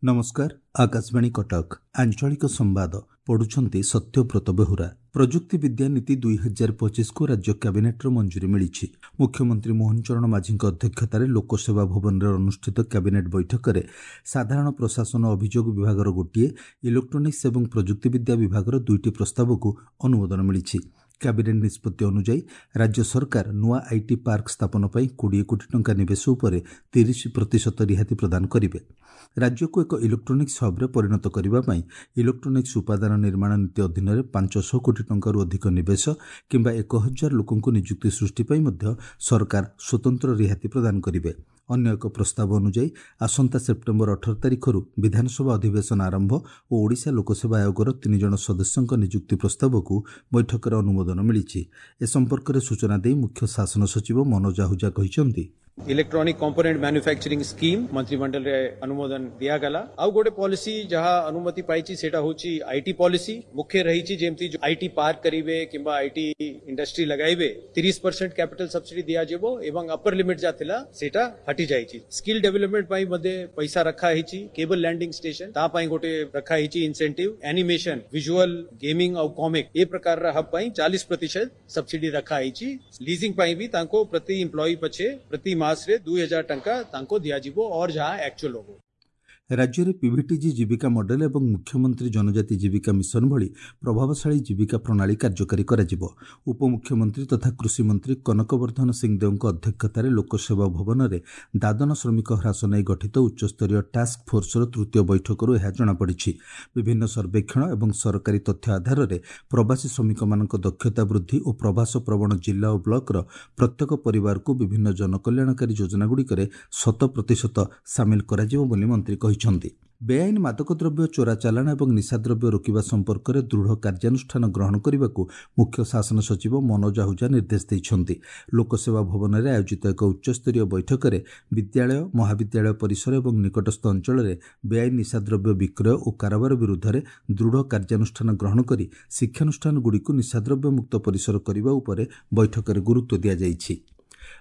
ନମସ୍କାର, ଆକାଶବାଣୀ କଟକ, ଆଞ୍ଚଳିକ ସମ୍ବାଦ ପଢୁଛନ୍ତି ସତ୍ୟବ୍ରତ ବେହୁରା। ପ୍ରଯୁକ୍ତିବିଦ୍ୟା ନୀତି 2025କୁ ରାଜ୍ୟ କ୍ୟାବିନେଟ୍ର ମଞ୍ଜୁରୀ ମିଳିଛି। ମୁଖ୍ୟମନ୍ତ୍ରୀ ମୋହନ ଚରଣ ମାଝୀଙ୍କ ଅଧ୍ୟକ୍ଷତାରେ ଲୋକସେବା ଭବନରେ ଅନୁଷ୍ଠିତ କ୍ୟାବିନେଟ୍ ବୈଠକରେ ସାଧାରଣ ପ୍ରଶାସନ ଅଭିଯୋଗ ବିଭାଗର ଗୋଟିଏ, ଇଲେକ୍ଟ୍ରୋନିକ୍ସ ଏବଂ ପ୍ରଯୁକ୍ତିବିଦ୍ୟା ବିଭାଗର 2ଟି ପ୍ରସ୍ତାବକୁ ଅନୁମୋଦନ ମିଳିଛି। କ୍ୟାବିନେଟ୍ ନିଷ୍ପତ୍ତି ଅନୁଯାୟୀ ରାଜ୍ୟ ସରକାର ନୂଆ IT park ସ୍ଥାପନ ପାଇଁ 20 କୋଟି ଟଙ୍କା ନିବେଶ ଉପରେ 30% ରିହାତି ପ୍ରଦାନ କରିବେ। ରାଜ୍ୟକୁ ଏକ ଇଲେକ୍ଟ୍ରୋନିକ୍ସ ହବ୍ରେ ପରିଣତ କରିବା ପାଇଁ ଇଲେକ୍ଟ୍ରୋନିକ୍ସ ଉପାଦାନ ନିର୍ମାଣ ନୀତି ଅଧୀନରେ 500 କୋଟି ଟଙ୍କାରୁ ଅଧିକ ନିବେଶ କିମ୍ବା 1000 ଲୋକଙ୍କୁ ନିଯୁକ୍ତି ସୃଷ୍ଟି ପାଇଁ ମଧ୍ୟ ସରକାର ସ୍ୱତନ୍ତ୍ର ରିହାତି ପ୍ରଦାନ କରିବେ। ଅନ୍ୟ ଏକ ପ୍ରସ୍ତାବ ଅନୁଯାୟୀ ଆସନ୍ତା ସେପ୍ଟେମ୍ବର 18 ତାରିଖରୁ ବିଧାନସଭା ଅଧିବେଶନ ଆରମ୍ଭ ଓ ଓଡ଼ିଶା ଲୋକସେବା ଆୟୋଗର 3 ଜଣ ସଦସ୍ୟଙ୍କ ନିଯୁକ୍ତି ପ୍ରସ୍ତାବକୁ ବୈଠକରେ ଅନୁମୋଦନ ମିଳିଛି। ଏ ସମ୍ପର୍କରେ ସୂଚନା ଦେଇ ମୁଖ୍ୟ ଶାସନ ସଚିବ ମନୋଜ ଆହୁଜା କହିଛନ୍ତି, ଇଲେକ୍ଟ୍ରୋନିକ କମ୍ପୋନେଣ୍ଟ ମ୍ୟାନୁଫ୍ୟାକ୍ଚରିଂ ସ୍କିମ୍ ମନ୍ତ୍ରିମଣ୍ଡଳରେ ଅନୁମୋଦନ ଦିଆଗଲା। ଆଉ ଗୋଟେ ପଲିସି ଯାହା ଅନୁମତି ପାଇଛି, ସେଇଟା ହଉଛି IT policy. ମୁଖ୍ୟ ରହିଛି ଯେମିତି IT park କରିବେ କିମ୍ବା IT industry ଲଗାଇବେ, 30% କ୍ୟାପିଟାଲ ସବସିଡି ଦିଆଯିବ ଏବଂ ଅପର ଲିମିଟ ଯାହା ଥିଲା ସେଇଟା ହଟି ଯାଇଛି। ସ୍କିଲ୍ ଡେଭଲପମେଣ୍ଟ ପାଇଁ ମଧ୍ୟ ପଇସା ରଖା ହେଇଛି। କେବଲ ଲ୍ୟାଣ୍ଡିଂ ଷ୍ଟେସନ, ତା ପାଇଁ ଗୋଟେ ରଖା ହେଇଛି ଇନସେଣ୍ଟିଭ। ଆନିମେସନ, ଭିଜୁଆଲ, ଗେମିଂ ଆଉ କମିକ ଏ ପ୍ରକାରର ହବ୍ ପାଇଁ 40% ସବସିଡି ରଖା ହେଇଛି। ଲିଜିଂ ପାଇଁ ବି ତାଙ୍କୁ ପ୍ରତି ଏମ୍ପ୍ଲୟି ପଛେ ପ୍ରତି ମାସରେ 2000 ଟଙ୍କା ତାଙ୍କୁ ଦିଆଯିବ ଅର ଯାହା ଆକ୍ଚୁଆଲ ହବ। ରାଜ୍ୟରେ ପିଭିଟିଜି ଜୀବିକା ମଡେଲ ଏବଂ ମୁଖ୍ୟମନ୍ତ୍ରୀ ଜନଜାତି ଜୀବିକା ମିଶନ ଭଳି ପ୍ରଭାବଶାଳୀ ଜୀବିକା ପ୍ରଣାଳୀ କାର୍ଯ୍ୟକାରୀ କରାଯିବ। ଉପମୁଖ୍ୟମନ୍ତ୍ରୀ ତଥା କୃଷିମନ୍ତ୍ରୀ କନକବର୍ଦ୍ଧନ ସିଂଦେଓଙ୍କ ଅଧ୍ୟକ୍ଷତାରେ ଲୋକସେବା ଭବନରେ ଦାଦନ ଶ୍ରମିକ ହ୍ରାସ ନେଇ ଗଠିତ ଉଚ୍ଚସ୍ତରୀୟ ଟାସ୍କ ଫୋର୍ସର ତୃତୀୟ ବୈଠକରୁ ଏହା ଜଣାପଡ଼ିଛି। ବିଭିନ୍ନ ସର୍ବେକ୍ଷଣ ଏବଂ ସରକାରୀ ତଥ୍ୟ ଆଧାରରେ ପ୍ରବାସୀ ଶ୍ରମିକମାନଙ୍କ ଦକ୍ଷତା ବୃଦ୍ଧି ଓ ପ୍ରବାସ ପ୍ରବଣ ଜିଲ୍ଲା ଓ ବ୍ଲକର ପ୍ରତ୍ୟେକ ପରିବାରକୁ ବିଭିନ୍ନ ଜନକଲ୍ୟାଣକାରୀ ଯୋଜନାଗୁଡ଼ିକରେ 100% ସାମିଲ କରାଯିବ ବୋଲି ମନ୍ତ୍ରୀ କହିଛନ୍ତି। ବେଆଇନ ମାଦକ ଦ୍ରବ୍ୟ ଚୋରା ଚାଲାଣ ଏବଂ ନିଶାଦ୍ରବ୍ୟ ରୋକିବା ସମ୍ପର୍କରେ ଦୃଢ଼ କାର୍ଯ୍ୟାନୁଷ୍ଠାନ ଗ୍ରହଣ କରିବାକୁ ମୁଖ୍ୟ ଶାସନ ସଚିବ ମନୋଜ ଆହୁଜା ନିର୍ଦ୍ଦେଶ ଦେଇଛନ୍ତି। ଲୋକସେବା ଭବନରେ ଆୟୋଜିତ ଏକ ଉଚ୍ଚସ୍ତରୀୟ ବୈଠକରେ ବିଦ୍ୟାଳୟ, ମହାବିଦ୍ୟାଳୟ ପରିସର ଏବଂ ନିକଟସ୍ଥ ଅଞ୍ଚଳରେ ବେଆଇନ ନିଶାଦ୍ରବ୍ୟ ବିକ୍ରୟ ଓ କାରବାର ବିରୁଦ୍ଧରେ ଦୃଢ଼ କାର୍ଯ୍ୟାନୁଷ୍ଠାନ ଗ୍ରହଣ କରି ଶିକ୍ଷାନୁଷ୍ଠାନଗୁଡ଼ିକୁ ନିଶାଦ୍ରବ୍ୟ ମୁକ୍ତ ପରିସର କରିବା ଉପରେ ବୈଠକରେ ଗୁରୁତ୍ୱ ଦିଆଯାଇଛି।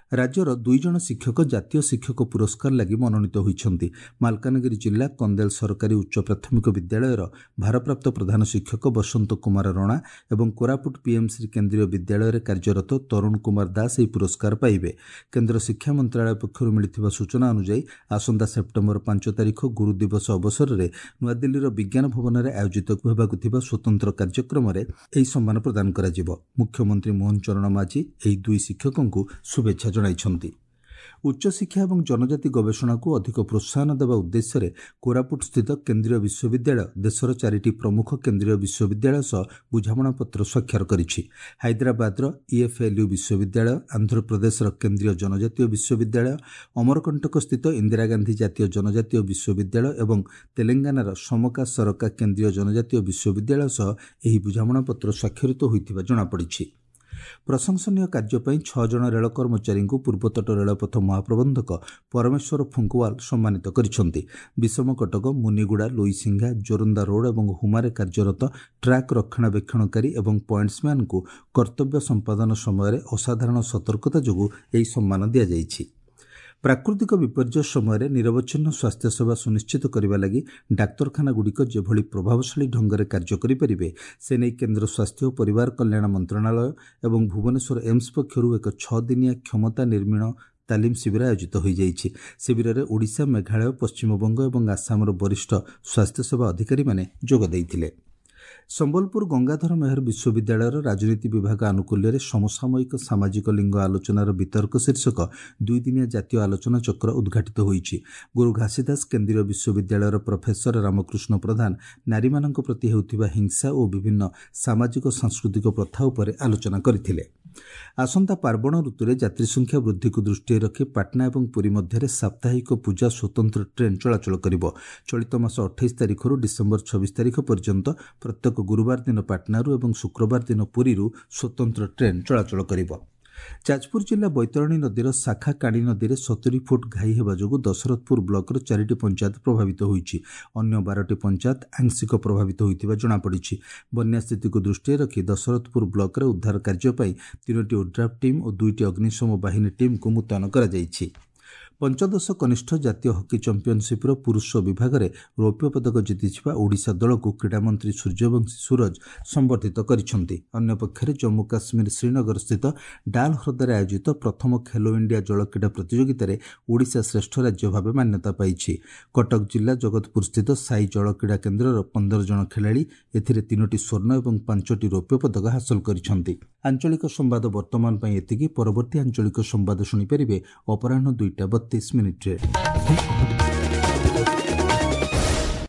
ରାଜ୍ୟର 2 ଜଣ ଶିକ୍ଷକ ଜାତୀୟ ଶିକ୍ଷକ ପୁରସ୍କାର ଲାଗି ମନୋନୀତ ହୋଇଛନ୍ତି। ମାଲକାନଗିରି ଜିଲ୍ଲା କନ୍ଦେଲ ସରକାରୀ ଉଚ୍ଚ ପ୍ରାଥମିକ ବିଦ୍ୟାଳୟର ଭାରପ୍ରାପ୍ତ ପ୍ରଧାନ ଶିକ୍ଷକ ବସନ୍ତ କୁମାର ରଣା ଏବଂ କୋରାପୁଟ ପିଏମ୍ଶ୍ରୀ କେନ୍ଦ୍ରୀୟ ବିଦ୍ୟାଳୟରେ କାର୍ଯ୍ୟରତ ତରୁଣ କୁମାର ଦାସ ଏହି ପୁରସ୍କାର ପାଇବେ। କେନ୍ଦ୍ର ଶିକ୍ଷା ମନ୍ତ୍ରାଳୟ ପକ୍ଷରୁ ମିଳିଥିବା ସୂଚନା ଅନୁଯାୟୀ ଆସନ୍ତା ସେପ୍ଟେମ୍ବର 5 ତାରିଖ ଗୁରୁ ଦିବସ ଅବସରରେ ନୂଆଦିଲ୍ଲୀର ବିଜ୍ଞାନ ଭବନରେ ଆୟୋଜିତ ହେବାକୁ ଥିବା ସ୍ୱତନ୍ତ୍ର କାର୍ଯ୍ୟକ୍ରମରେ ଏହି ସମ୍ମାନ ପ୍ରଦାନ କରାଯିବ। ମୁଖ୍ୟମନ୍ତ୍ରୀ ମୋହନ ଚରଣ ମାଝୀ ଏହି 2 ଶିକ୍ଷକଙ୍କୁ ଶୁଭେଚ୍ଛା ଜଣାଇଛନ୍ତି। ଉଚ୍ଚଶିକ୍ଷା ଏବଂ ଜନଜାତି ଗବେଷଣାକୁ ଅଧିକ ପ୍ରୋତ୍ସାହନ ଦେବା ଉଦ୍ଦେଶ୍ୟରେ କୋରାପୁଟ ସ୍ଥିତ କେନ୍ଦ୍ରୀୟ ବିଶ୍ୱବିଦ୍ୟାଳୟ ଦେଶର 4ଟି ପ୍ରମୁଖ କେନ୍ଦ୍ରୀୟ ବିଶ୍ୱବିଦ୍ୟାଳୟ ସହ ବୁଝାମଣାପତ୍ର ସ୍ୱାକ୍ଷର କରିଛି। ହାଇଦ୍ରାବାଦର ଇଏଫ୍ଏଲ୍ୟୁ ବିଶ୍ୱବିଦ୍ୟାଳୟ, ଆନ୍ଧ୍ରପ୍ରଦେଶର କେନ୍ଦ୍ରୀୟ ଜନଜାତୀୟ ବିଶ୍ୱବିଦ୍ୟାଳୟ, ଅମରକଣ୍ଟକ ସ୍ଥିତ ଇନ୍ଦିରା ଗାନ୍ଧୀ ଜାତୀୟ ଜନଜାତୀୟ ବିଶ୍ୱବିଦ୍ୟାଳୟ ଏବଂ ତେଲେଙ୍ଗାନାର ସମକା ସରକା କେନ୍ଦ୍ରୀୟ ଜନଜାତୀୟ ବିଶ୍ୱବିଦ୍ୟାଳୟ ସହ ଏହି ବୁଝାମଣାପତ୍ର ସ୍ୱାକ୍ଷରିତ ହୋଇଥିବା ଜଣାପଡ଼ିଛି। ପ୍ରଶଂସନୀୟ କାର୍ଯ୍ୟ ପାଇଁ 6 ଜଣ ରେଳ କର୍ମଚାରୀଙ୍କୁ ପୂର୍ବତଟ ରେଳପଥ ମହାପ୍ରବନ୍ଧକ ପରମେଶ୍ୱର ଫୁଙ୍କୱାଲ ସମ୍ମାନିତ କରିଛନ୍ତି। ବିଷମକଟକ, ମୁନିଗୁଡ଼ା, ଲୋଇସିଂହା, ଜୋରନ୍ଦା ରୋଡ୍ ଏବଂ ହୁମାରେ କାର୍ଯ୍ୟରତ ଟ୍ରାକ୍ ରକ୍ଷଣାବେକ୍ଷଣକାରୀ ଏବଂ ପଏଣ୍ଟସମ୍ୟାନ୍ଙ୍କୁ କର୍ତ୍ତବ୍ୟ ସମ୍ପାଦନ ସମୟରେ ଅସାଧାରଣ ସତର୍କତା ଯୋଗୁଁ ଏହି ସମ୍ମାନ ଦିଆଯାଇଛି। ପ୍ରାକୃତିକ ବିପର୍ଯ୍ୟୟ ସମୟରେ ନିରବଚ୍ଛିନ୍ନ ସ୍ୱାସ୍ଥ୍ୟସେବା ସୁନିଶ୍ଚିତ କରିବା ଲାଗି ଡାକ୍ତରଖାନାଗୁଡ଼ିକ ଯେଭଳି ପ୍ରଭାବଶାଳୀ ଢଙ୍ଗରେ କାର୍ଯ୍ୟ କରିପାରିବେ, ସେ ନେଇ କେନ୍ଦ୍ର ସ୍ୱାସ୍ଥ୍ୟ ଓ ପରିବାର କଲ୍ୟାଣ ମନ୍ତ୍ରଣାଳୟ ଏବଂ ଭୁବନେଶ୍ୱର ଏମ୍ସ ପକ୍ଷରୁ ଏକ 6 ଦିନିଆ କ୍ଷମତା ନିର୍ମାଣ ତାଲିମ ଶିବିର ଆୟୋଜିତ ହୋଇଯାଇଛି। ଶିବିରରେ ଓଡ଼ିଶା, ମେଘାଳୟ, ପଶ୍ଚିମବଙ୍ଗ ଏବଂ ଆସାମର ବରିଷ୍ଠ ସ୍ୱାସ୍ଥ୍ୟସେବା ଅଧିକାରୀମାନେ ଯୋଗ ଦେଇଥିଲେ। ସମ୍ବଲପୁର ଗଙ୍ଗାଧର ମେହର ବିଶ୍ୱବିଦ୍ୟାଳୟର ରାଜନୀତି ବିଭାଗ ଆନୁକୂଲ୍ୟରେ ସମସାମୟିକ ସାମାଜିକ ଲିଙ୍ଗ ଆଲୋଚନାର ବିତର୍କ ଶୀର୍ଷକ 2 ଦିନିଆ ଜାତୀୟ ଆଲୋଚନା ଚକ୍ର ଉଦ୍ଘାଟିତ ହୋଇଛି। ଗୁରୁ ଘାସିଦାସ କେନ୍ଦ୍ରୀୟ ବିଶ୍ୱବିଦ୍ୟାଳୟର ପ୍ରଫେସର ରାମକୃଷ୍ଣ ପ୍ରଧାନ ନାରୀମାନଙ୍କ ପ୍ରତି ହେଉଥିବା ହିଂସା ଓ ବିଭିନ୍ନ ସାମାଜିକ ସାଂସ୍କୃତିକ ପ୍ରଥା ଉପରେ ଆଲୋଚନା କରିଥିଲେ। ଆସନ୍ତା ପାର୍ବଣ ଋତୁରେ ଯାତ୍ରୀ ସଂଖ୍ୟା ବୃଦ୍ଧିକୁ ଦୃଷ୍ଟିରେ ରଖି ପାଟନା ଏବଂ ପୁରୀ ମଧ୍ୟରେ ସାପ୍ତାହିକ ପୂଜା ସ୍ୱତନ୍ତ୍ର ଟ୍ରେନ୍ ଚଳାଚଳ କରିବ। ଚଳିତ ମାସ 28 ତାରିଖରୁ ଡିସେମ୍ବର 26 ତାରିଖ ପର୍ଯ୍ୟନ୍ତ ପ୍ରତ୍ୟେକ ଗୁରୁବାର ଦିନ ପାଟନାରୁ ଏବଂ ଶୁକ୍ରବାର ଦିନ ପୁରୀରୁ ସ୍ୱତନ୍ତ୍ର ଟ୍ରେନ୍ ଚଳାଚଳ କରିବ। ଯାଜପୁର ଜିଲ୍ଲା ବୈତରଣୀ ନଦୀର ଶାଖା କାଣୀ ନଦୀରେ 70 ଫୁଟ ଘାଇ ହେବା ଯୋଗୁଁ ଦଶରଥପୁର ବ୍ଲକର 4ଟି ପଞ୍ଚାୟତ ପ୍ରଭାବିତ ହୋଇଛି। ଅନ୍ୟ 12ଟି ପଞ୍ଚାୟତ ଆଂଶିକ ପ୍ରଭାବିତ ହୋଇଥିବା ଜଣାପଡ଼ିଛି। ବନ୍ୟା ସ୍ଥିତିକୁ ଦୃଷ୍ଟିରେ ରଖି ଦଶରଥପୁର ବ୍ଲକରେ ଉଦ୍ଧାର କାର୍ଯ୍ୟ ପାଇଁ 3ଟି ଓଡ୍ରାଫ୍ ଟିମ୍ ଓ 2ଟି ଅଗ୍ନିଶମ ବାହିନୀ ଟିମ୍କୁ ମୁତୟନ କରାଯାଇଛି। ପଞ୍ଚଦଶ କନିଷ୍ଠ ଜାତୀୟ ହକି ଚାମ୍ପିୟନସିପ୍ର ପୁରୁଷ ବିଭାଗରେ ରୌପ୍ୟ ପଦକ ଜିତିଥିବା ଓଡ଼ିଶା ଦଳକୁ କ୍ରୀଡ଼ାମନ୍ତ୍ରୀ ସୂର୍ଯ୍ୟବଂଶୀ ସୂରଜ ସମ୍ବର୍ଦ୍ଧିତ କରିଛନ୍ତି। ଅନ୍ୟପକ୍ଷରେ ଜମ୍ମୁ କାଶ୍ମୀର ଶ୍ରୀନଗରସ୍ଥିତ ଡାଲ୍ ହ୍ରଦରେ ଆୟୋଜିତ ପ୍ରଥମ ଖେଲୋ ଇଣ୍ଡିଆ ଜଳକ୍ରୀଡ଼ା ପ୍ରତିଯୋଗିତାରେ ଓଡ଼ିଶା ଶ୍ରେଷ୍ଠ ରାଜ୍ୟ ଭାବେ ମାନ୍ୟତା ପାଇଛି। କଟକ ଜିଲ୍ଲା ଜଗତପୁରସ୍ଥିତ ସାଇ ଜଳକ୍ରୀଡ଼ା କେନ୍ଦ୍ରର 15 ଜଣ ଖେଳାଳି ଏଥିରେ 3ଟି ସ୍ୱର୍ଣ୍ଣ ଏବଂ 5ଟି ରୌପ୍ୟ ପଦକ ହାସଲ କରିଛନ୍ତି। ଆଞ୍ଚଳିକ ସମ୍ବାଦ ବର୍ତ୍ତମାନ ପାଇଁ ଏତିକି। ପରବର୍ତ୍ତୀ ଆଞ୍ଚଳିକ ସମ୍ବାଦ ଶୁଣିପାରିବେ ଅପରାହ୍ନ 2ଟା 32 ମିନିଟ୍ରେ।